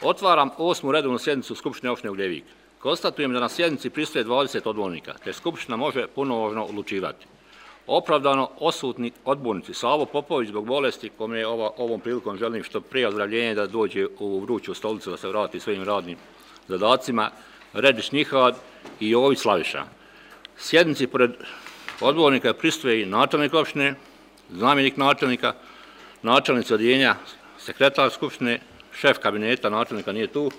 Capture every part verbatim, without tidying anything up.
Otvaram osmu redovnu sjednicu Skupštine opštine Ugljevik. Konstatujem da na sjednici prisustvuje dvadeset odbornika, te Skupština može punomoćno odlučivati. Opravdano odsutni odbornici Savo Popović zbog bolesti, kome ova, ovom prilikom želim što prije ozdravljenje da dođe u vruću stolicu, da se vrati svojim radnim zadacima, Redić Nihad i Jović Slaviša. Sjednici pored odbornika prisustvuje i načelnik opštine, zamjenik načelnika, načelnici odjeljenja, sekretar Skupštine, šef kabineta načelnika nije tu,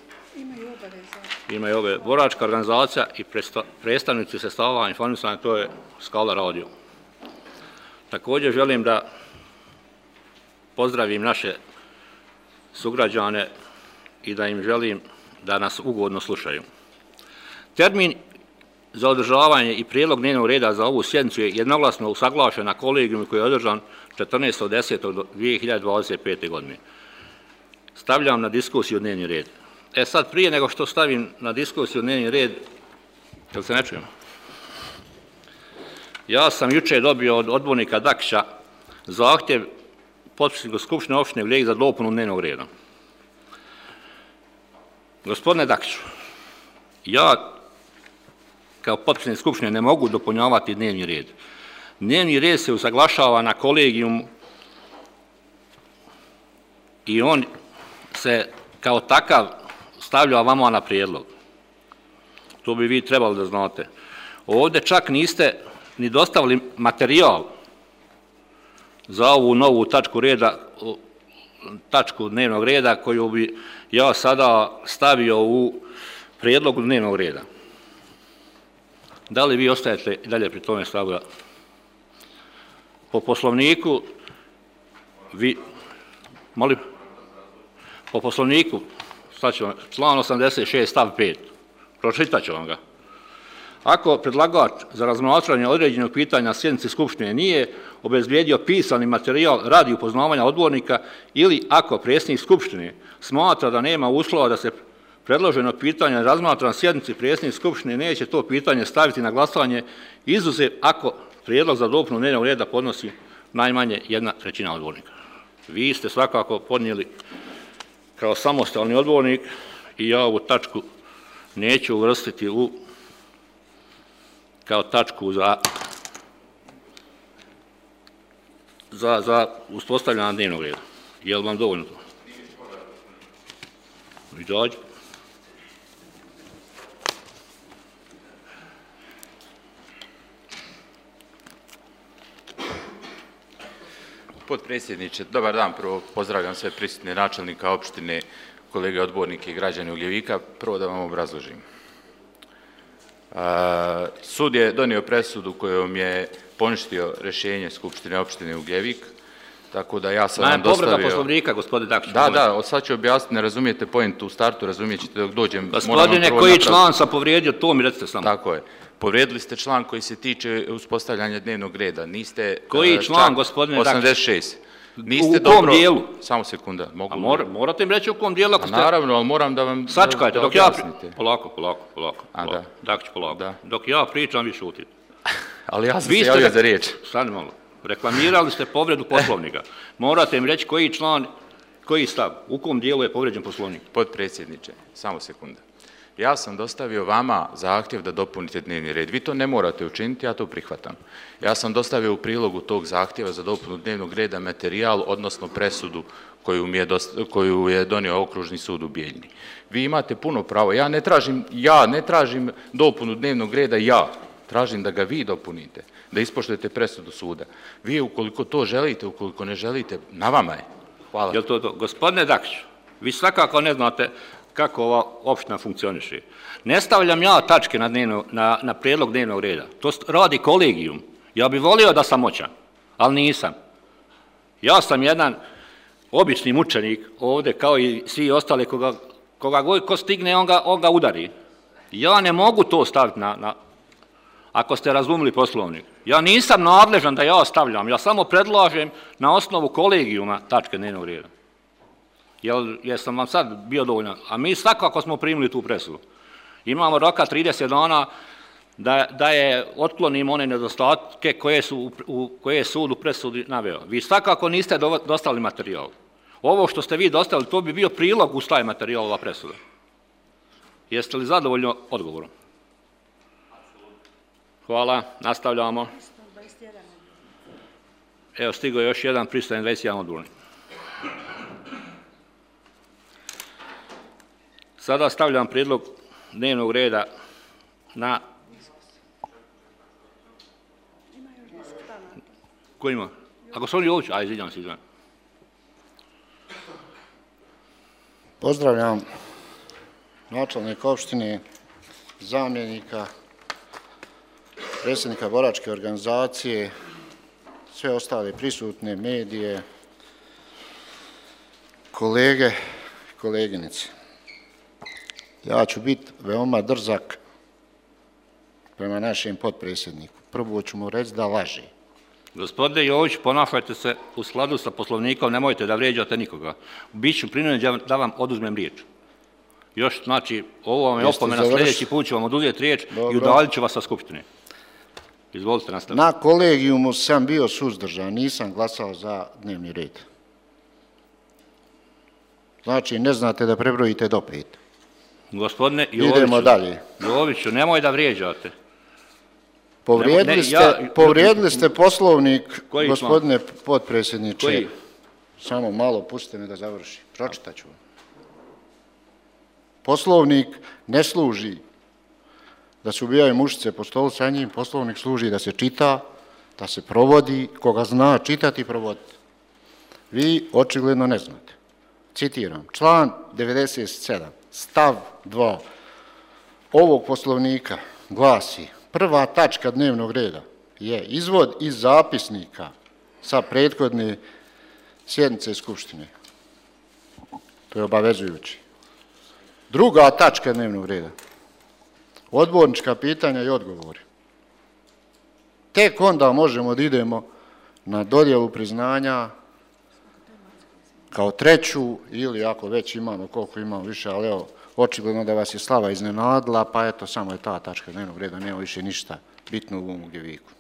imaju ove boračka organizacija i predstavnici sredstava informisanja, to je Skala radio. Također želim da pozdravim naše sugrađane i da im želim da nas ugodno slušaju. Termin za održavanje i prijedlog dnevnog reda za ovu sjednicu je jednoglasno usaglašen na kolegijumu koji je održan četrnaestog desetog dvije hiljade dvadeset pete. godine. Stavljam na diskusiju dnevni red. E sad, prije nego što stavim na diskusiju dnevni red, jel se ne čujem? Ja sam juče dobio od odbornika Dakića zahtjev potpredsjednika Skupštine opštine Ugljevik za dopunu dnevnog reda. Gospodine Dakiću, ja kao potpredsjednik Skupštine ne mogu dopunjavati dnevni red. Dnevni red se usaglašava na kolegijumu i on se kao takav stavlja vama na prijedlog. To bi vi trebali da znate. Ovdje čak niste ni dostavili materijal za ovu novu tačku reda, tačku dnevnog reda koju bi ja sada stavio u prijedlogu dnevnog reda. Da li vi ostajete i dalje pri tome stavu? Po poslovniku, vi, molim, po poslovniku, član osamdeset šest stav pet, pročitat ću vam ga. Ako predlagač za razmatranje određenog pitanja na sjednici Skupštine nije obezbijedio pisani materijal radi upoznavanja odbornika ili ako predsjednik Skupštine smatra da nema uslova da se predloženo pitanje razmatra na sjednici, predsjednik Skupštine neće to pitanje staviti na glasovanje, izuzev ako prijedlog za dopunu dnevnog reda podnosi najmanje jedna trećina odbornika. Vi ste svakako podnijeli kao samostalni odbornik i ja ovu tačku neću uvrstiti u kao tačku za, za, za uspostavljanje dnevnog reda. Je li vam dovoljno to? Izađi. Potpredsjedniče, dobar dan, prvo pozdravljam sve prisutne načelnika opštine, kolege odbornike i građane Ugljevika. Prvo da vam obrazložim. Sud je donio presudu kojom je poništio rješenje Skupštine opštine Ugljevik, tako da ja sam vam dostavio... Povreda poslovnika, gospodine Dakić. Da, da, sad ću objasniti, ne razumijete pojentu u startu, razumijet ćete dok dođem... Gospodine, koji član sam povrijedio, to mi recite samo. Tako je. Povrijedili ste član koji se tiče uspostavljanja dnevnog reda. Niste... Koji član, gospodine Dakić? osamdeset šest. U kom dijelu? Samo sekunda. Morate mi reći u kom dijelu ako ste... Naravno, ali moram da vam... Sačekajte, dok ja... Polako, polako, polako. Dakić, polako. Dok ja pričam, vi šutite. Ali ja sam se javio za riječ. Stani malo. Reklamirali ste povredu poslovnika. Morate mi reći koji član, koji stav, u kom dijelu je povređen poslovnik. Potpredsjedniče, samo sekunda. Ja sam dostavio vama zahtjev da dopunite dnevni red. Vi to ne morate učiniti, ja to prihvatam. Ja sam dostavio u prilogu tog zahtjeva za dopunu dnevnog reda materijal, odnosno presudu koju, mi je, dosta, koju je donio Okružni sud u Bijeljini. Vi imate puno pravo. Ja ne tražim, ja ne tražim dopunu dnevnog reda, ja tražim da ga vi dopunite, da ispoštujete presudu suda. Vi ukoliko to želite, ukoliko ne želite, na vama je. Hvala. Jel to to? Gospodine Dakić, vi svakako ne znate kako ova opština funkcioniše. Ne stavljam ja tačke na, dnevno, na, na prijedlog dnevnog reda. To radi kolegijum. Ja bih volio da sam moćan, ali nisam. Ja sam jedan obični mučenik ovdje, kao i svi ostali, koga, koga god ko stigne, on ga, on ga udari. Ja ne mogu to staviti na, na... Ako ste razumili poslovnik. Ja nisam nadležan da ja stavljam, ja samo predlažem na osnovu kolegijuma tačke dnevnog reda. Jel, jesam vam sad bio dovoljno? A mi svakako smo primili tu presudu. Imamo roka trideset dana da, da je otklonimo one nedostatke koje, su, u, koje je sud u presudi naveo. Vi svakako niste dostavili materijal. Ovo što ste vi dostavili, to bi bio prilog uz taj materijal, ova presuda. Jeste li zadovoljni odgovorom? Hvala, nastavljamo. Evo, stigao je još jedan pristojan dvadeset jedan odgovorni. Sada stavljam prijedlog dnevnog reda na... Ko ima? A gospodin Jović? A, izvinjam se, izvinjam. Pozdravljam načelnika opštine, zamjenika, predsjednika boračke organizacije, sve ostale prisutne medije, kolege i koleginice. Ja ću biti veoma drzak prema našem potpredsjedniku. Prvo ću mu reći da laži. Gospodine Jović, ponašajte se u skladu sa poslovnikom, nemojte da vrijeđate nikoga. Biću prinuđen da vam oduzmem riječ. Još, znači, ovo vam je opomena, sljedeći put ću vam oduzeti riječ i udaljit ću vas sa skupštine. Izvolite, nastavite. Na kolegijumu sam bio suzdržan, nisam glasao za dnevni red. Znači, ne znate da prebrojite do pet. Gospodine Idemo dalje. Joviću, nemoj da vrijeđate. Povrijedili ste, povrijedili ste poslovnik, gospodine potpredsjedniče. Koji? Samo malo, pustite me da završi. Pročitat ću vam. Poslovnik ne služi da se ubijaju mušice po stolu sa njim, poslovnik služi da se čita, da se provodi, koga zna čitati i provoditi. Vi očigledno ne znate. Citiram, član devedeset sedam, stav dva ovog poslovnika glasi: prva tačka dnevnog reda je izvod iz zapisnika sa prethodne sjednice Skupštine. To je obavezujući. Druga tačka dnevnog reda, odbornička pitanja i odgovori. Tek onda možemo da idemo na dodjelu priznanja kao treću, ili ako već imamo, koliko imamo više, ali evo, očigledno da vas je slava iznenadila, pa eto, samo je ta tačka dnevnog reda, nema više ništa bitno u ovom Ugljeviku.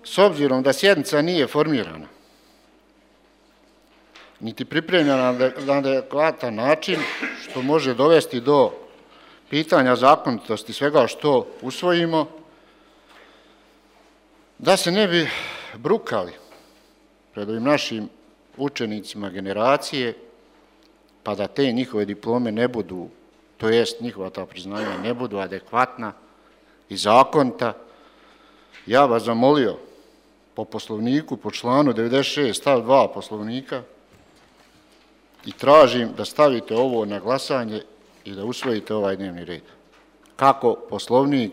S obzirom da sjednica nije formirana, niti pripremljena na adekvatan način, što može dovesti do pitanja zakonitosti svega što usvojimo, da se ne bi brukali pred ovim našim učenicima generacije, pa da te njihove diplome ne budu, to jest njihova ta priznanja ne budu adekvatna i zakonita, ja vas zamolio po poslovniku, po članu devedeset šest stav dva poslovnika i tražim da stavite ovo na glasanje i da usvojite ovaj dnevni red. Kako poslovnik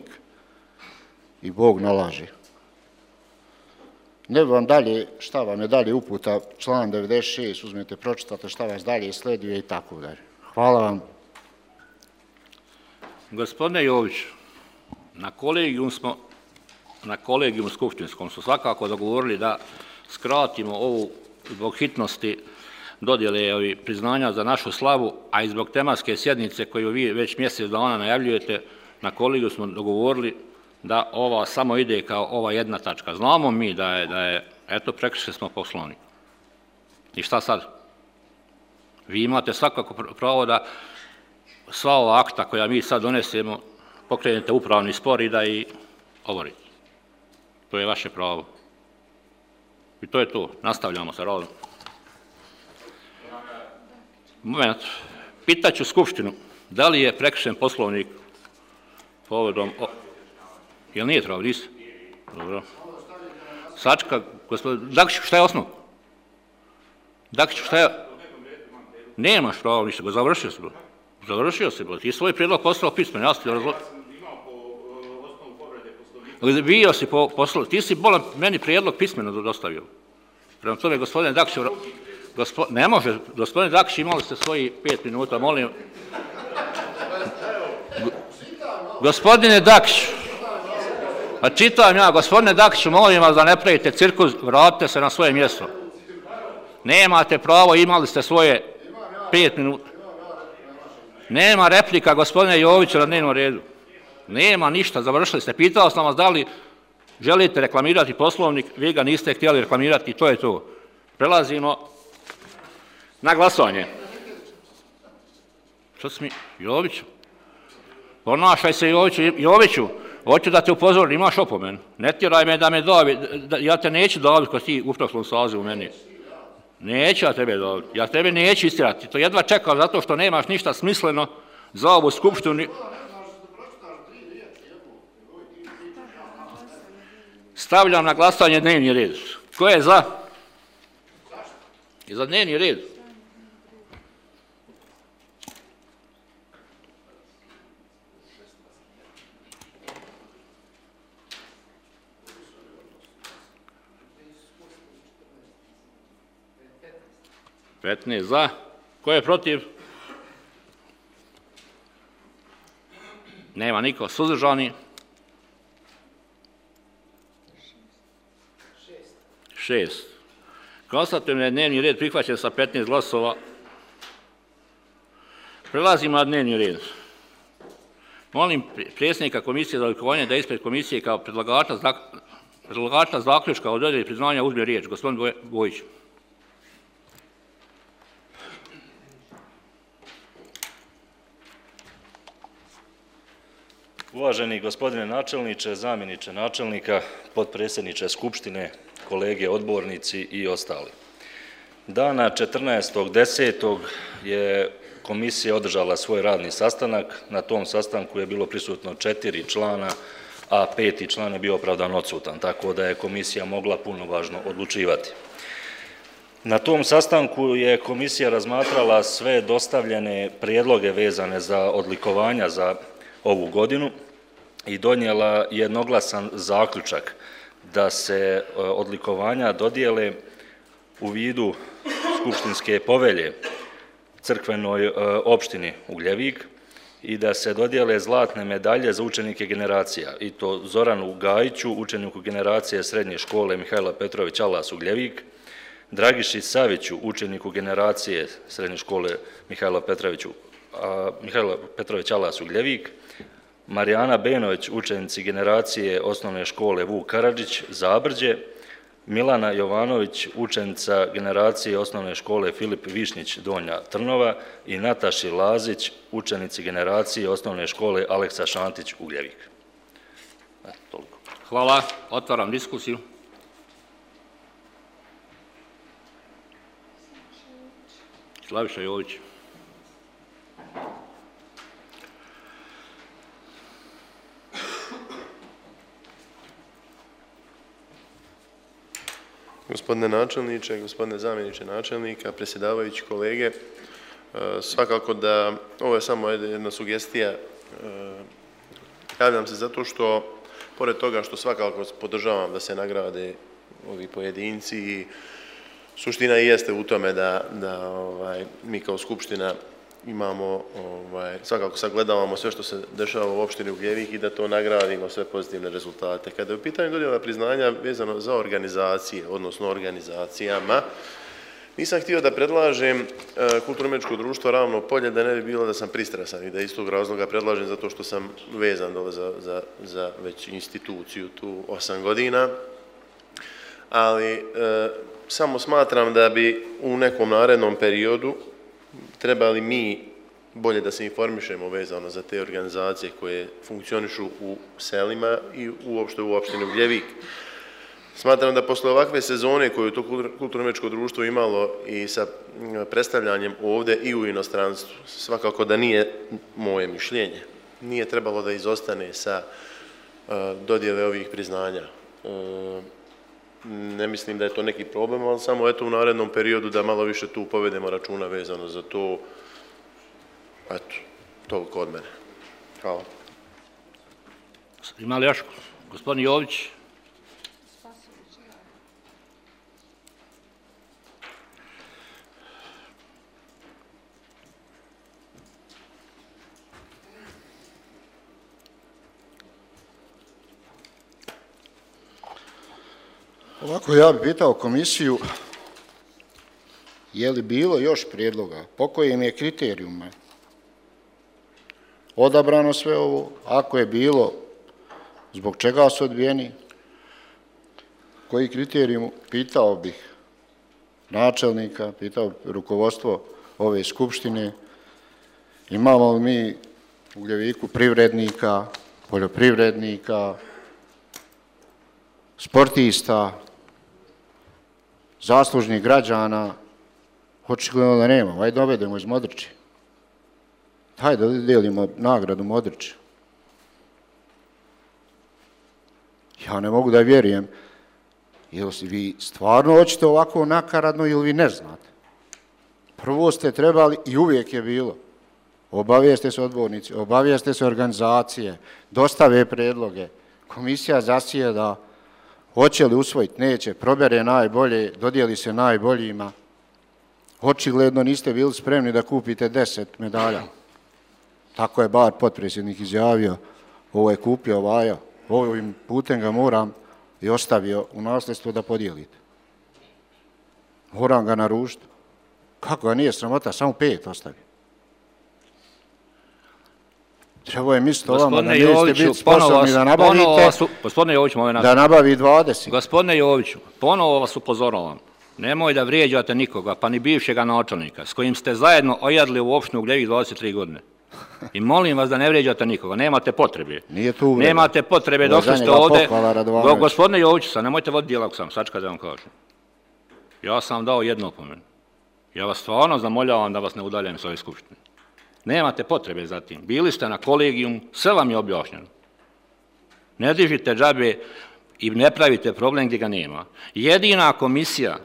i Bog nalaže. Ne bi vam dalje, šta vam je dalje uputa, član devedeset šest, uzmete, pročitate šta vas dalje sleduje i tako dalje. Hvala vam. Gospodine Jović, na kolegijum smo, na kolegijum skupštinskom smo svakako dogovorili da skratimo ovu zbog hitnosti dodjele priznanja za našu slavu, a i zbog tematske sjednice koju vi već mjesec dana najavljujete, na kolegiju smo dogovorili da ova samo ide kao ova jedna tačka. Znamo mi da je, da je eto, prekršili smo poslovnik. I šta sad? Vi imate svakako pravo da sva ova akta koja mi sad donesemo pokrenete upravni spor i da i oborite. To je vaše pravo. I to je to. Nastavljamo sa radom. Moment. Pitaću Skupštinu da li je prekršen poslovnik povodom... Jel nije trebao? Nisi? Dobro. Sačka, gospodin... Dakiću, šta je osnov? Dakiću, šta je... Nemaš pravo ništa, završio se. Završio se, ti svoj prijedlog poslao pismeno, ja sam ti razložio. Bio si po poslu, ti si bolan meni prijedlog pismeno dostavio. Prema tome, gospodine Dakiću, gospo, ne može, gospodine Dakiću, imali ste svoji pet minuta, molim. Gospodine Dakiću, pa čitam ja, gospodine Dakiću, molim vas da ne pravite cirkus, vratite se na svoje mjesto. Nemate pravo, imali ste svoje pet minuta. Nema replika, gospodine Joviću, na dnevnom redu. Nema ništa, završili ste. Pitao sam vas da li želite reklamirati poslovnik, vi ga niste htjeli reklamirati i to je to. Prelazimo Na glasovanje. Što si mi, Joviću? Ponašaj se, Joviću. Joviću, hoću da te upozorim, imaš opomenu. Ne tjeraj me da me dobi, ja te neću dobiti ko ti u prošlom sazivu meni. Neću ja tebe dobiti, ja tebe neću istirati. To jedva čekam zato što nemaš ništa smisleno za ovu skupštinu. Stavljam na glasanje dnevni red. Ko je za? I za dnevni red. petnaest za. Ko je protiv? Nema niko. Suzdržani? šest. Konstatujem da je dnevni red prihvaćen sa petnaest glasova. Prelazimo na dnevni red. Molim predsjednika Komisije za odlikovanje da ispred komisije kao predlagača zaključka o dodjeli priznanja uzme riječ. Gospodin Bojić. Uvaženi gospodine načelniče, zamjeniče načelnika, potpredsjedniče Skupštine, kolege odbornici i ostali. Dana četrnaestog desetog je komisija održala svoj radni sastanak. Na tom sastanku je bilo prisutno četiri člana, a peti član je bio opravdano odsutan, tako da je komisija mogla punovažno odlučivati. Na tom sastanku je komisija razmatrala sve dostavljene prijedloge vezane za odlikovanja za ovu godinu i donijela jednoglasan zaključak da se odlikovanja dodijele u vidu skupštinske povelje crkvenoj opštini Ugljevik i da se dodijele zlatne medalje za učenike generacija, i to Zoranu Gajiću, učeniku generacije srednje škole Mihajla Petrović Alas Ugljevik, Dragiši Saviću, učeniku generacije srednje škole Mihajla Petrović Alas Ugljevik, Marijana Benović, učenici generacije osnovne škole Vuk Karadžić, Zabrđe, Milana Jovanović, učenica generacije osnovne škole Filip Višnjić, Donja Trnova i Nataši Lazić, učenici generacije osnovne škole Aleksa Šantić, Ugljevik. Toliko. Hvala. Otvaram diskusiju. Slaviša Jović. Gospodine načelniče, gospodine zamjeniče načelnika, predsjedavajući kolege, svakako da ovo je samo jedna sugestija. Javljam se zato što, pored toga što svakako podržavam da se nagrade ovi pojedinci, i suština i jeste u tome da, da ovaj, mi kao Skupština imamo, ovaj, svakako sagledavamo sve što se dešava u opštini Ugljevik i da to nagradimo, sve pozitivne rezultate. Kada je u pitanju dodjela priznanja vezano za organizacije, odnosno organizacijama, nisam htio da predlažem e, Kulturno-umjetničko društvo Ravno polje, da ne bi bilo da sam pristrasan i da iz tog razloga predlažem zato što sam vezan dole za, za, za već instituciju tu osam godina, ali e, samo smatram da bi u nekom narednom periodu trebali mi bolje da se informišemo vezano za te organizacije koje funkcionišu u selima i uopšte u opštini Ugljevik. Smatram da posle ovakve sezone koju to Kulturno-umjetničko društvo imalo i sa predstavljanjem ovde i u inostranstvu, svakako da nije moje mišljenje. Nije trebalo da izostane sa dodjele ovih priznanja. Ne mislim da je to neki problem, ali samo eto u narednom periodu da malo više tu povedemo računa vezano za to. Eto, toliko od mene. Hvala. Ima li još gospodin Jović? Ovako, ja bih pitao komisiju, je li bilo još prijedloga, po kojim je kriterijuma odabrano sve ovo, ako je bilo, zbog čega su odbijeni, koji kriterijum, pitao bih načelnika, pitao rukovodstvo ove skupštine, imamo li mi u Gljeviku privrednika, poljoprivrednika, sportista, zaslužnih građana, očigledno da nemamo. Ajde dovedemo iz Modrića. Hajde da dijelimo nagradu Modrića. Ja ne mogu da vjerujem. Jel vi stvarno hoćete ovako nakaradno ili vi ne znate? Prvo ste trebali, i uvijek je bilo, obavijeste se odbornici, obavijeste se organizacije, dostave predloge, komisija zasjeda, hoće li usvojiti, neće, probere najbolje, dodijeli se najboljima. Očigledno niste bili spremni da kupite deset medalja. Tako je bar potpredsjednik izjavio, ovo je kupio Vaja, ovim putem ga moram i ostavio u nasljedstvo da podijelite. Moram ga naručiti. Kako ga nije sramota, samo pet ostavio. Trebao je misliti o vama da niste biti sposobni da nabavite, da nabavi dvadeset. Gospodine Joviću, ponovo vas upozoravam. Nemoj da vrijeđate nikoga, pa ni bivšega načelnika, s kojim ste zajedno ojadili u opštinu Gljevik dvadeset tri godine. I molim vas da ne vrijeđate nikoga, nemate potrebe. Nije tu uvreda. Nemate potrebe, došli ste ovdje. Gospodine Joviću, sad nemojte voditi dijalog sam, sačekaj da vam kažem. Ja sam vam dao jednu opomenu. Ja vas stvarno zamoljavam da vas ne udaljem s ove skupštine. Nemate potrebe za tim. Bili ste na kolegijumu, sve vam je objašnjeno. Ne dižite džabe i ne pravite problem gdje ga nema. Jedina komisija,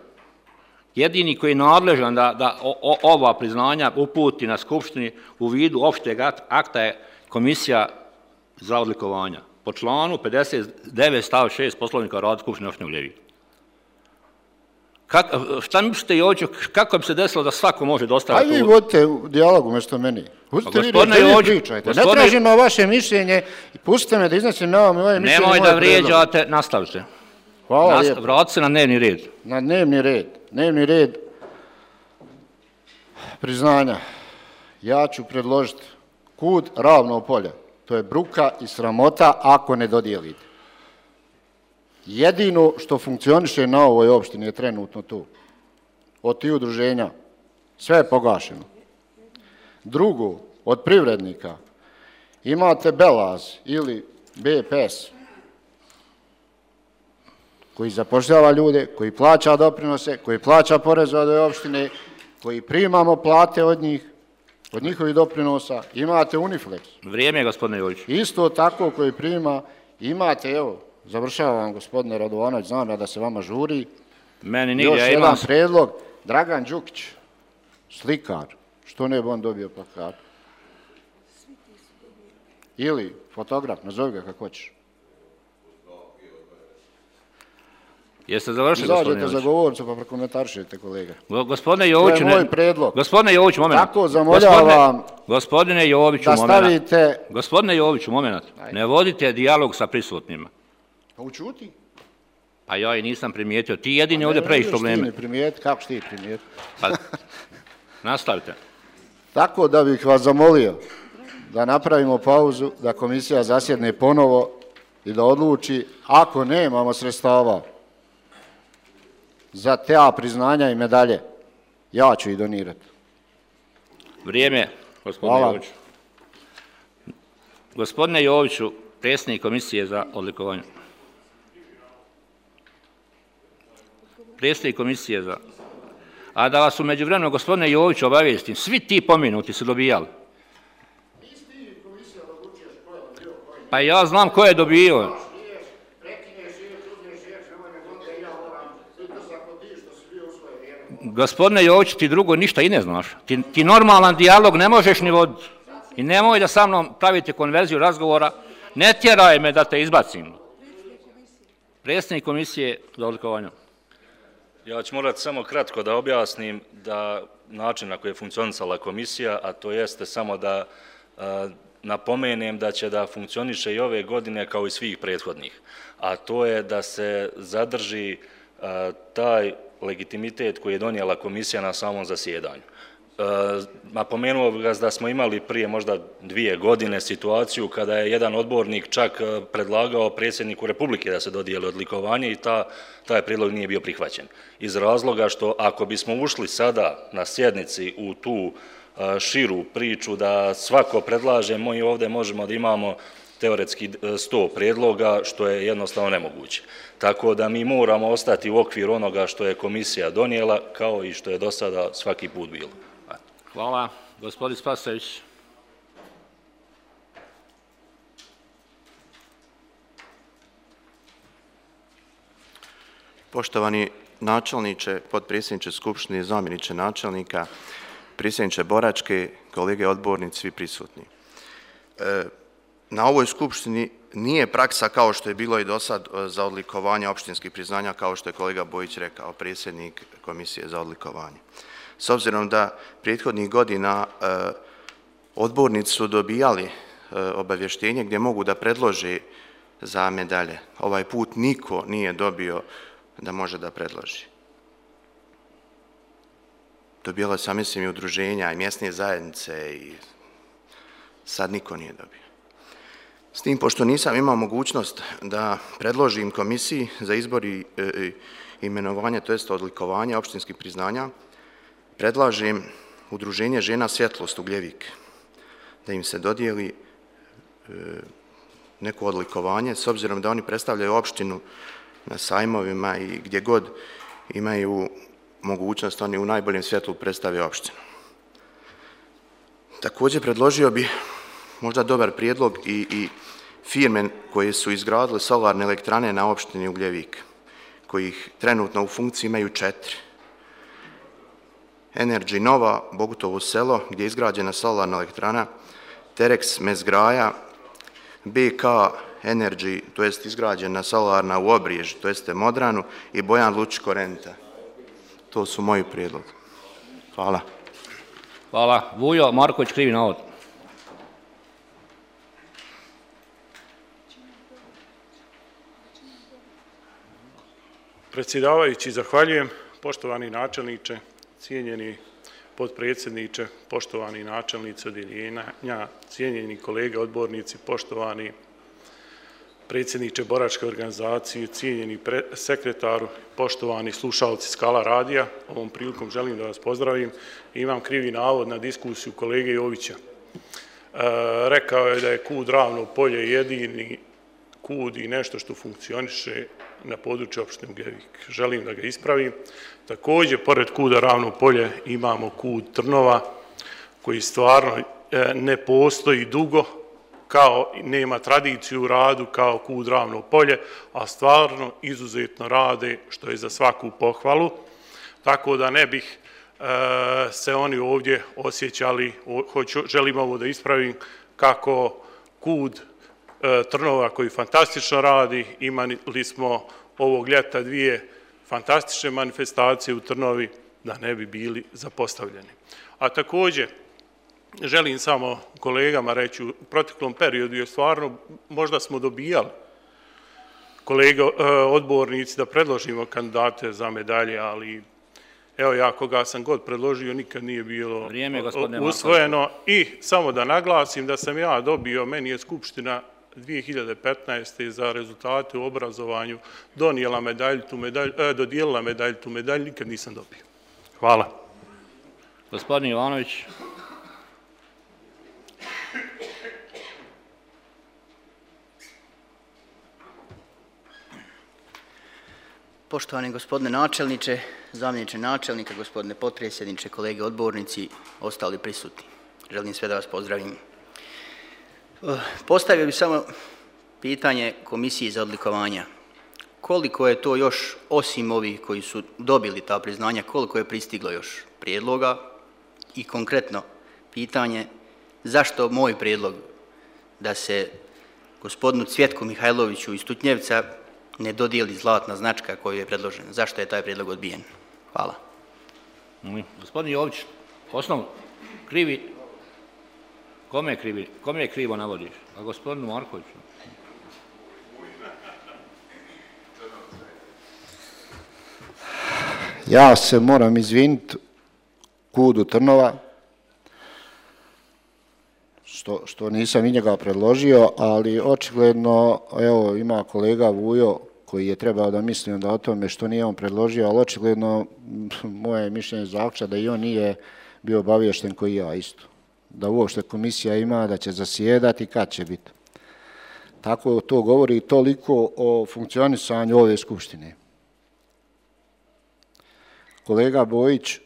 jedini koji je nadležan da, da o, o, ova priznanja uputi na skupštini u vidu opšteg akta je komisija za odlikovanja. Po članu pedeset devet stav šest Poslovnika o radu Skupštine opštine Gljevik. Kak, šta mislite, Joviću, kako bi se desilo da svako može dostaviti? Ajde vi vodite u dijalogu mjesto meni. Pustite vi da vi pričajte. Ne tražim na vaše mišljenje i pustite me da iznesim na moje mišljenje. Nemoj da vrijeđate, nastavite. Hvala lijepo. Vratite se na dnevni red. Na dnevni red. Dnevni red priznanja. Ja ću predložiti kud Ravno polje. To je bruka i sramota ako ne dodijelite. Jedino što funkcioniše na ovoj opštini je trenutno tu. Od tih udruženja. Sve je pogašeno. Drugo, od privrednika imate Belaz ili B P S koji zapošljava ljude, koji plaća doprinose, koji plaća porez od ove opštine, koji primamo plate od njih, od njihovih doprinosa. Imate Uniflex. Vrijeme je, gospodine Jović. Isto tako koji prima, imate, evo, završavam, gospodine Radovanović, znam da se vama žuri. Meni nigdje, još ja jedan imam... predlog, Dragan Đukić, slikar, što ne bi on dobio plakat? Ili fotograf, nazovi ga kako hoćeš. Jeste završili, gospodine Jović? Izađete za govornicu pa prokomentarišete, kolega. Gospodine Joviću, to je moj predlog. Gospodine Joviću, moment. Tako zamoljavam gospodine Joviću, da stavite... Gospodine Joviću, moment. Ne vodite dijalog sa prisutnima. Pa učuti. Pa ja i nisam primijetio. Ti jedini ovdje praviš probleme. Ne možeš ti ne primijeti, kako ti primijeti? Pa, nastavite. Tako da bih vas zamolio da napravimo pauzu, da komisija zasjedne ponovo i da odluči, ako nemamo sredstava za te priznanja i medalje, ja ću ih donirati. Vrijeme, gospodine Joviću. Gospodine Joviću, predsjednik komisije za odlikovanje. Predsjednik komisije za... A da vas u međuvremenu, gospodine Joviću, obavijestim, svi ti pominuti su dobijali. Pa ja znam ko je dobio. Gospodine Jović, ti drugo ništa i ne znaš. Ti, ti normalan dijalog ne možeš ni voditi. I nemoj da sa mnom pravite konverziju razgovora. Ne tjeraj me da te izbacim. Predsjednik komisije za odlikovanje. Ja ću morati samo kratko da objasnim da način na koji je funkcionisala komisija, a to jeste samo da a, napomenem da će da funkcioniše i ove godine kao i svih prethodnih. A to je da se zadrži a, taj legitimitet koji je donijela komisija na samom zasjedanju. Napomenuo bih vas da smo imali prije možda dvije godine situaciju kada je jedan odbornik čak predlagao predsjedniku Republike da se dodijeli odlikovanje i ta, taj prijedlog nije bio prihvaćen. Iz razloga što ako bismo ušli sada na sjednici u tu širu priču da svako predlaže, mi ovdje možemo da imamo teoretski sto prijedloga, što je jednostavno nemoguće. Tako da mi moramo ostati u okviru onoga što je komisija donijela, kao i što je do sada svaki put bilo. Hvala. Gospodin Spasojević. Poštovani načelniče, potpredsjedniče Skupštine, zamjeniče načelnika, predsjedniče Boračke, kolege odbornici, svi prisutni. Na ovoj Skupštini nije praksa kao što je bilo i do sad za odlikovanje opštinskih priznanja, kao što je kolega Bojić rekao, predsjednik Komisije za odlikovanje. S obzirom da prethodnih godina odbornici su dobijali obavještenje gdje mogu da predlože za medalje. Ovaj put niko nije dobio da može da predloži. Dobijala sam, mislim, i udruženja i mjesne zajednice i sad niko nije dobio. S tim, pošto nisam imao mogućnost da predložim komisiji za izbor i imenovanje, to jest odlikovanje opštinskih priznanja, predlažem udruženje žena Svjetlost Ugljevik, da im se dodijeli neko odlikovanje, s obzirom da oni predstavljaju opštinu na sajmovima i gdje god imaju mogućnost, oni u najboljem svjetlu predstave opštinu. Također predložio bi možda dobar prijedlog i, i firme koje su izgradile solarne elektrane na opštini Ugljevik, kojih trenutno u funkciji imaju četiri. Energy Nova, Bogutovo selo, gdje je izgrađena solarna elektrana, Terex Mezgraja, B K Energy, to jest izgrađena solarna u Obrijež, to jeste Modranu, i Bojan Lučko Renta. To su moji prijedlog. Hvala. Hvala. Vujo Marković, krivi navod. Predsjedavajući, zahvaljujem. Poštovani načelniče, cijenjeni potpredsjedniče, poštovani načelnici odjeljenja, cijenjeni kolege odbornici, poštovani predsjedniče Boračke organizacije, cijenjeni sekretaru, poštovani slušalci Skala radija, ovom prilikom želim da vas pozdravim. Imam krivi navod na diskusiju kolege Jovića. E, rekao je da je KUD Ravno polje jedini KUD i nešto što funkcioniše na području opštine Ugljevik. Želim da ga ispravim. Također, pored KUD-a Ravno polje imamo KUD Trnova, koji stvarno ne postoji dugo, kao nema tradiciju u radu kao KUD Ravno polje, a stvarno izuzetno rade, što je za svaku pohvalu. Tako da ne bih e, se oni ovdje osjećali, hoću, želim ovo da ispravim, kako KUD e, Trnova koji fantastično radi, imali smo ovog ljeta dvije fantastične manifestacije u Trnovi, da ne bi bili zapostavljeni. A također, želim samo kolegama reći, u proteklom periodu je stvarno, možda smo dobijali kolege odbornici da predložimo kandidate za medalje, ali evo ja koga sam god predložio, nikad nije bilo Vrijeme, usvojeno. I samo da naglasim da sam ja dobio, meni je Skupština dvije hiljade petnaeste. za rezultate u obrazovanju donijela medalju, tu medalju, eh, dodijelila medalju, tu medalju, nikad nisam dobio. Hvala. Gospodin Jovanović. Poštovani gospodine načelniče, zamjeniče načelnika, gospodine potpredsjedniče, kolege odbornici, ostali prisutni. Želim sve da vas pozdravim. Postavio bih samo pitanje Komisiji za odlikovanja. Koliko je to još, osim ovih koji su dobili ta priznanja, koliko je pristiglo još prijedloga? I konkretno pitanje, zašto moj prijedlog da se gospodinu Cvjetku Mihajloviću iz Tutnjevca ne dodijeli zlatna značka koju je predložena? Zašto je taj prijedlog odbijen? Hvala. Gospodin Jović, osnov krivi, kome je krivi, kome je krivo navodiš? A gospodinu Markoviću? Ja se moram izviniti KUD-u Trnova, što, što nisam i njega predložio, ali očigledno, evo, ima kolega Vujo koji je trebao da misli onda o tome što nije on predložio, ali očigledno moje mišljenje zaključa da i on nije bio obaviješten koji ja isto. Da uopšte komisija ima, da će zasjedati, kad će biti. Tako to govori toliko o funkcionisanju ove skupštine. Kolega Bojić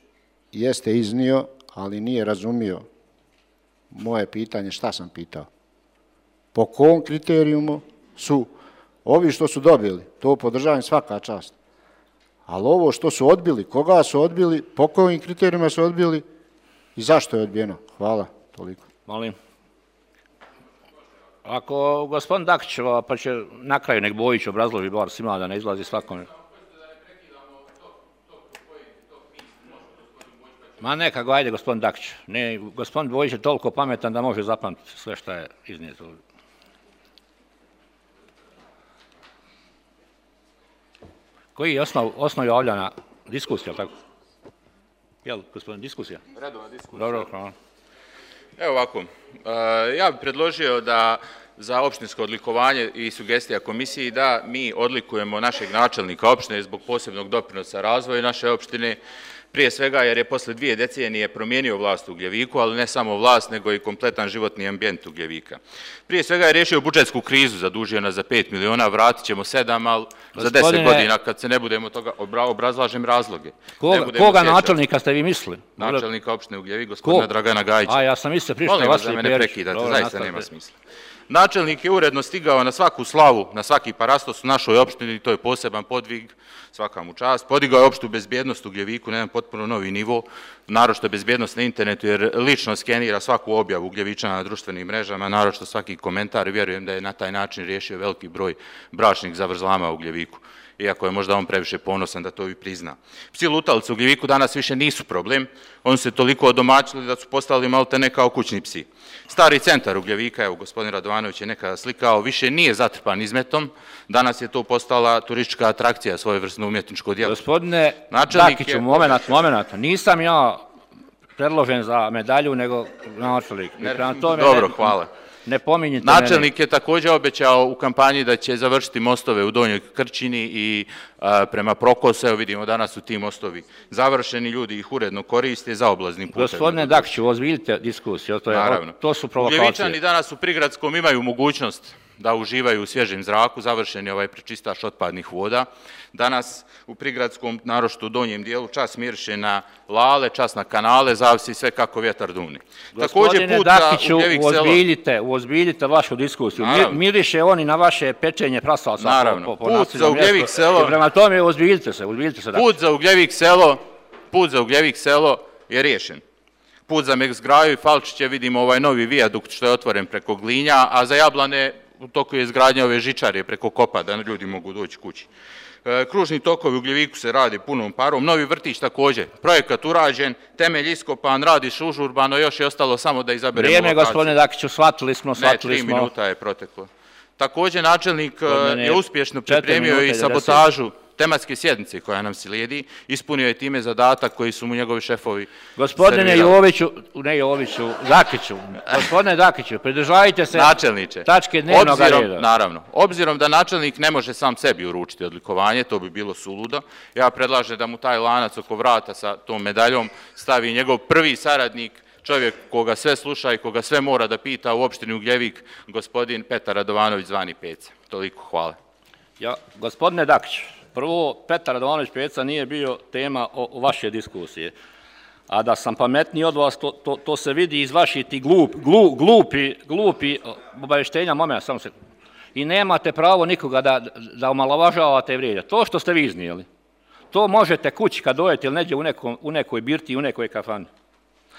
jeste iznio, ali nije razumio moje pitanje, šta sam pitao. Po kom kriterijumu su ovi što su dobili, to podržavam svaka čast. Ali ovo što su odbili, koga su odbili, po kojim kriterijima su odbili i zašto je odbijeno? Hvala, toliko. Molim. Ako gospodin Dakić, pa će na kraju nek Bojić obrazloži bar svima da ne izlazi svakome. Ma neka ga, ajde gospodin Dakić. Ne, gospodin Bojić je toliko pametan da može zapamtiti sve što je iznijeto. Koji je osnov, osnov javljanja? Diskusija, tako? Jel, gospodin, diskusija? Redovna diskusija. Dobro, hvala. Evo ovako, ja bih predložio da za opštinsko odlikovanje i sugestija komisiji da mi odlikujemo našeg načelnika opštine zbog posebnog doprinosa razvoja naše opštine, prije svega jer je posle dvije decenije promijenio vlast u Gljeviku, ali ne samo vlast, nego i kompletan životni ambijent u Gljevika. Prije svega je riješio budžetsku krizu, zadužio nas za pet miliona, vratit ćemo sedam, ali za deset godina, kad se ne budemo toga, obrazlažem razloge. Koga, koga načelnika ste vi mislili? Načelnika opštine u Gljevik, gospodina Dragana Gajića. A ja sam mislio prišao vas da me ne prekidate, zaista nema smisla. Načelnik je uredno stigao na svaku slavu, na svaki parastos u našoj opštini, to je poseban podvig, svaka mu čast. Podigao je opštu bezbjednost u Gljeviku na jedan potpuno novi nivo, naročito bezbjednost na internetu, jer lično skenira svaku objavu Gljevičana na društvenim mrežama, naročito svaki komentar, vjerujem da je na taj način riješio veliki broj bračnih zavrzlama u Gljeviku, iako je možda on previše ponosan da to i prizna. Psi lutalice u Gljeviku danas više nisu problem, oni se toliko odomaćili da su postali malte ne kao kućni psi. Stari centar u Gljevika, evo gospodin Radovanović je nekada slikao, više nije zatrpan izmetom, danas je to postala turistička atrakcija, svojevrsno umjetničko djelo. Gospodine Dakiću, moment, moment, nisam ja predložen za medalju, nego načelnik. Dobro, hvala. Ne pominjite Načelnik je također obećao u kampanji da će završiti mostove u Donjoj Krčini i a, prema Prokosu. Evo vidimo danas su ti mostovi završeni, ljudi ih uredno koriste za oblaznim putem. Gospodine Dakiću, ozbiljite diskusiju, to, je, to su provokacije. Gljevičani danas u Prigradskom imaju mogućnost da uživaju u svježem zraku, završen je ovaj prečistač otpadnih voda. Danas u Prigradskom, naročito u donjem dijelu, čas miriše na lale, čas na kanale, zavisi sve kako vjetar dune. Gospodine Dakiću, uozbiljite, uozbiljite vašu diskusiju. Miriše oni na vaše pečenje prasalca. Naravno, put za Ugljevik selo... Prema tome, uozbiljite se, uozbiljite se. Put za Ugljevik selo, put za Ugljevik selo je riješen. Put za Meksgraju i Falčiće vidimo ovaj novi vijadukt što je otvoren preko Glinja, a za Jablane u toku je izgradnja ove žičare preko Kopa, da ljudi mogu doći kući. Kružni tokovi u Gljeviku se radi punom parom, novi vrtić također, projekat urađen, temelj iskopan, radiš užurbano, još je ostalo samo da izaberemo lokaciju. Vrijeme, gospodine Dakiću, shvatili smo, shvatili smo. Ne, tri minuta je proteklo. Također načelnik je uspješno pripremio i sabotažu tematske sjednice koja nam slijedi, ispunio je time zadatak koji su mu njegovi šefovi Gospodine Joviću, ne Joviću, Dakiću, gospodine Dakiću, pridržajte se tačke dnevnog reda. Naravno, obzirom da načelnik ne može sam sebi uručiti odlikovanje, to bi bilo suludo, ja predlažem da mu taj lanac oko vrata sa tom medaljom stavi njegov prvi saradnik, čovjek koga sve sluša i koga sve mora da pita u opštini Ugljevik, gospodin Petar Radovanović zvani Peca. Toliko, hvala. Ja, gospodine Dakić, prvo, Petar Radovanović Peca nije bio tema o, o vaše diskusije. A da sam pametniji od vas, to, to, to se vidi iz vaših ti glup, glup, glupi, glupi obavještenja, moment, samo se... I nemate pravo nikoga da, da omalovažavate i vrijeđate. To što ste vi iznijeli, to možete kući kad dojete ili neđe u, nekom, u nekoj birti, u nekoj kafani.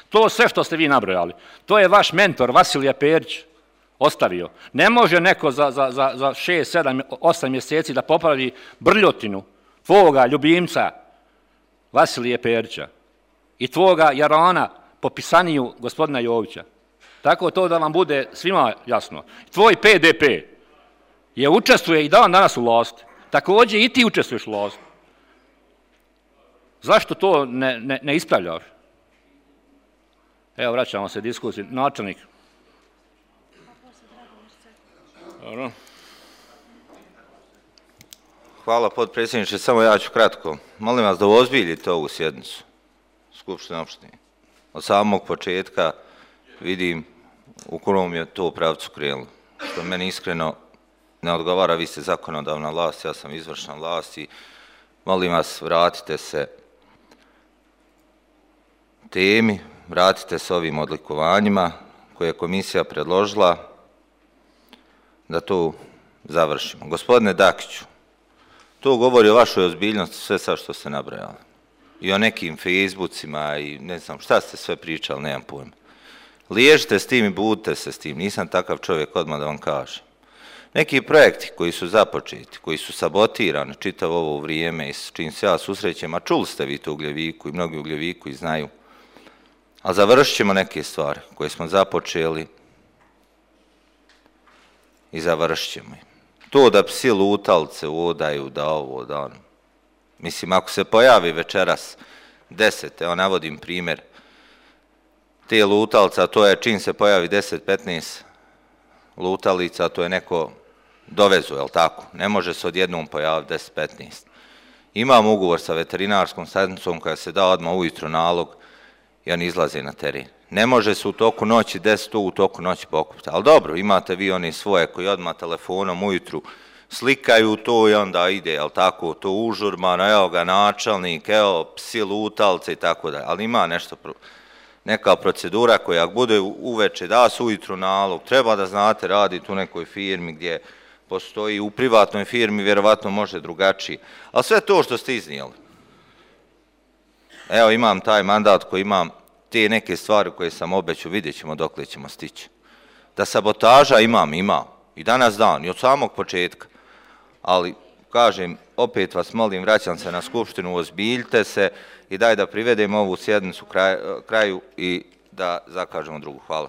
To sve što ste vi nabrojali, to je vaš mentor Vasilije Perić ostavio. Ne može neko za, za, za, za šest, sedam, osam mjeseci da popravi brljotinu tvoga ljubimca Vasilije Perića i tvoga Jarana po pisaniju gospodina Jovića. Tako to da vam bude svima jasno. Tvoj P D P je učestvuje i dan danas u vlasti. Također i ti učestvuješ u vlasti. Zašto to ne, ne, ne ispravljaš? Evo, vraćamo se diskusiji. Načelnik. Dobro. Hvala, potpredsjedniče. Samo ja ću kratko. Molim vas da uozbiljite ovu sjednicu Skupštine opštine. Od samog početka vidim u kom je to pravcu krenulo. Što meni iskreno ne odgovara, vi ste zakonodavna vlast, ja sam izvršna vlast i molim vas, vratite se temi, vratite se ovim odlikovanjima koje je komisija predložila da to završimo. Gospodine Dakiću, to govori o vašoj ozbiljnosti, sve sad što ste nabrajali. I o nekim Facebookima i ne znam šta ste sve pričali, nemam pojma. Liježite s tim i budite se s tim, nisam takav čovjek, odmah da vam kažem. Neki projekti koji su započeti, koji su sabotirani čitavo ovo vrijeme i s čim se ja susrećem, a čuli ste vi to u Ugljeviku i mnogi u Ugljeviku i znaju, a završit ćemo neke stvari koje smo započeli i završit ćemo. To da psi lutalce udaju, da ovo, da ono. Mislim, ako se pojavi večeras deset, evo navodim primjer, te lutalca, to je čim se pojavi deset petnaest lutalica, to je neko dovezu, jel tako? Ne može se odjednom pojaviti deset petnaest. Imam ugovor sa veterinarskom stanicom koja se da odmah ujutro nalog i oni izlaze na teren. Ne može se u toku noći deset u toku noći pokupiti. Ali dobro, imate vi oni svoje koji odmah telefonom ujutru slikaju to i onda ide, jel tako, to užurbano, evo ga načelnik, evo psi lutalce i tako dalje. Ali ima nešto, neka procedura koja bude uveče, da se ujutru nalog, treba da znate, radite u nekoj firmi gdje postoji, u privatnoj firmi vjerovatno može drugačije. Ali sve to što ste iznijeli. Evo imam taj mandat koji imam, te neke stvari koje sam obećao, vidjet ćemo dokle ćemo stići. Da sabotaža imam, imam. I danas dan, i od samog početka. Ali, kažem, opet vas molim, vraćam se na skupštinu, ozbiljite se i daj da privedemo ovu sjednicu kraju i da zakažemo drugu. Hvala.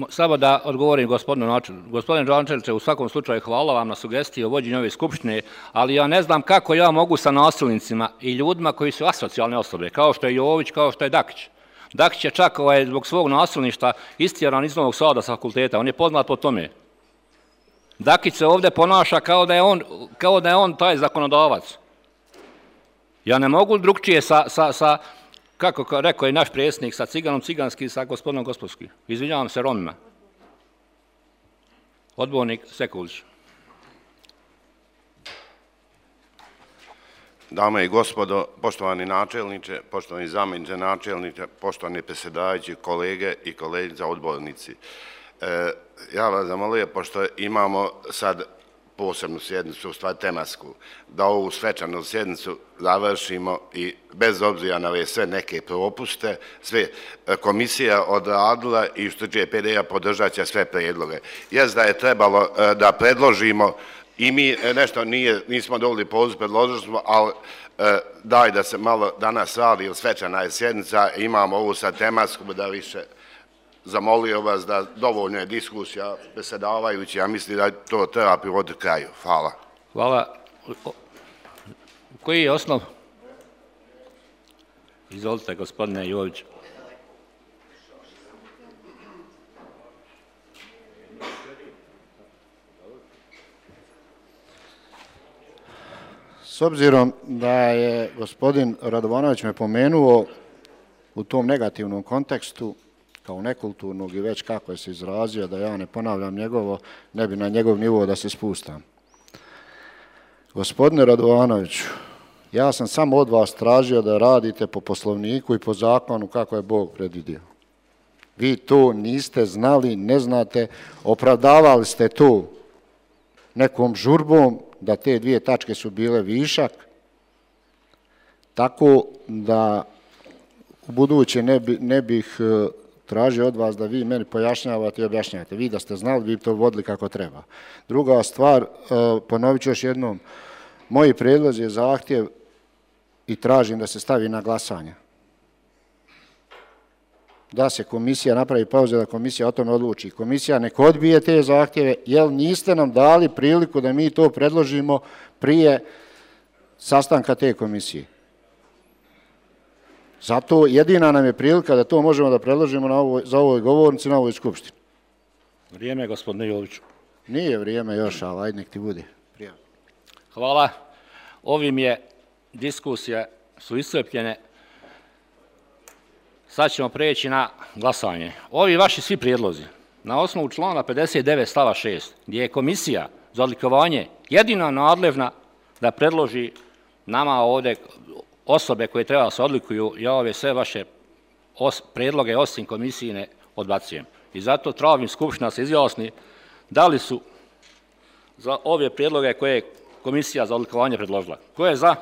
Samo da odgovorim gospodinu načelniku. Gospodin načelniče, u svakom slučaju hvala vam na sugestiji o vođenju ove skupštine, ali ja ne znam kako ja mogu sa nasilnicima i ljudima koji su asocijalne osobe, kao što je Jović, kao što je Dakić. Dakić je čak ovaj, zbog svog nasilništva istjeran iz Novog Sada sa fakulteta, on je poznat po tome. Dakić se ovdje ponaša kao da je on, kao da je on taj zakonodavac. Ja ne mogu drugčije sa, sa, sa kako rekao je naš predsjednik, sa ciganom ciganski, sa gospodinom gospodskim. Izvinjavam se Romima. Odbornik Sekulić. Dame i gospodo, poštovani načelniče, poštovani zamjeniče načelniče, poštovani predsjedavajući, kolege i kolegice odbornici. E, ja vas zamolio, pošto imamo sad posebnu sjednicu, u stvari tematsku, da ovu svečanu sjednicu završimo i bez obzira na ove sve neke propuste, sve komisija odradila i što će P D A podržat će sve predloge. Jes da je trebalo da predložimo i mi nešto nije, nismo dovoljni poziv, predložili smo, ali daj da se malo danas radi, ili svečana je sjednica, imamo ovu sad tematsku, da više zamolio vas da dovoljno je diskusija predsjedavajući, ja mislim da to treba privoditi kraju. Hvala. Hvala. Koji je osnov? Izvolite, gospodine Jović. S obzirom da je gospodin Radovanović me pomenuo u tom negativnom kontekstu, kao nekulturnog i već kako je se izrazio, da ja ne ponavljam njegovo, ne bi na njegov nivo da se spustam. Gospodine Radovanoviću, ja sam samo od vas tražio da radite po poslovniku i po zakonu kako je Bog predvidio. Vi to niste znali, ne znate, opravdavali ste to nekom žurbom da te dvije tačke su bile višak, tako da u buduće ne, bi, ne bih tražio od vas da vi meni pojašnjavate i objašnjavate. Vi da ste znali, vi bi to vodili kako treba. Druga stvar, ponovit ću još jednom, moji predlozi je zahtjev i tražim da se stavi na glasanje. Da se komisija napravi pauze, da komisija o tome odluči. Komisija nek odbije te zahtjeve, jer niste nam dali priliku da mi to predložimo prije sastanka te komisije. Zato jedina nam je prilika da to možemo da predložimo na ovoj, za ovoj govornici, na ovoj skupštini. Vrijeme, gospodine Joviću. Nije vrijeme još, ali ajde nek ti bude. Prijavno. Hvala. Ovim je diskusije su iscrpljene. Sad ćemo preći na glasanje. Ovi vaši svi prijedlozi, na osnovu člana pedeset devet stava šest, gdje je komisija za odlikovanje jedina nadležna da predloži nama ovdje osobe koje treba se odlikuju, ja ove sve vaše prijedloge osim komisijine odbacujem. I zato tražim Skupština se izjasni da li su za ove prijedloge koje je komisija za odlikovanje predložila. Ko je za?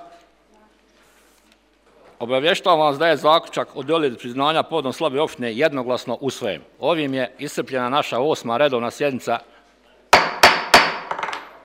Obavještavam vas da je zaključak o dodjeli priznanja povodom slabe opštine jednoglasno usvojen. Ovim je iscrpljena naša osma redovna sjednica